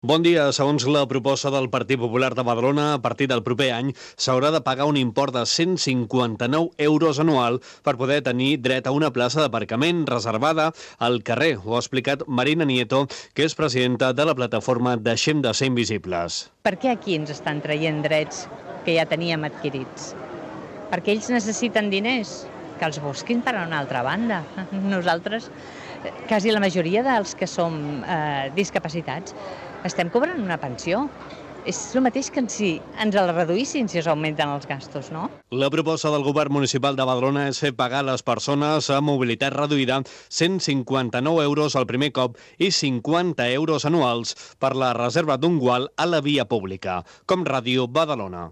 Bon dia. Segons la proposta del Partit Popular de Badalona, a partir del proper any s'haurà de pagar un import de 159 euros anual per poder tenir dret a una plaça d'aparcament reservada al carrer. Ho ha explicat Marina Nieto, que és presidenta de la plataforma Deixem de ser invisibles. Per què aquí ens estan traient drets que ja teníem adquirits? Perquè ells necessiten diners, que els busquin per a una altra banda. Nosaltres, quasi la majoria dels que som discapacitats, estem cobrant una pensió. És el mateix que si ens el reduïssin si es augmenten els gastos, no? La proposta del govern municipal de Badalona és fer pagar a les persones amb mobilitat reduïda 159 euros al primer cop i 50 euros anuals per la reserva d'un gual a la via pública. Com Ràdio Badalona.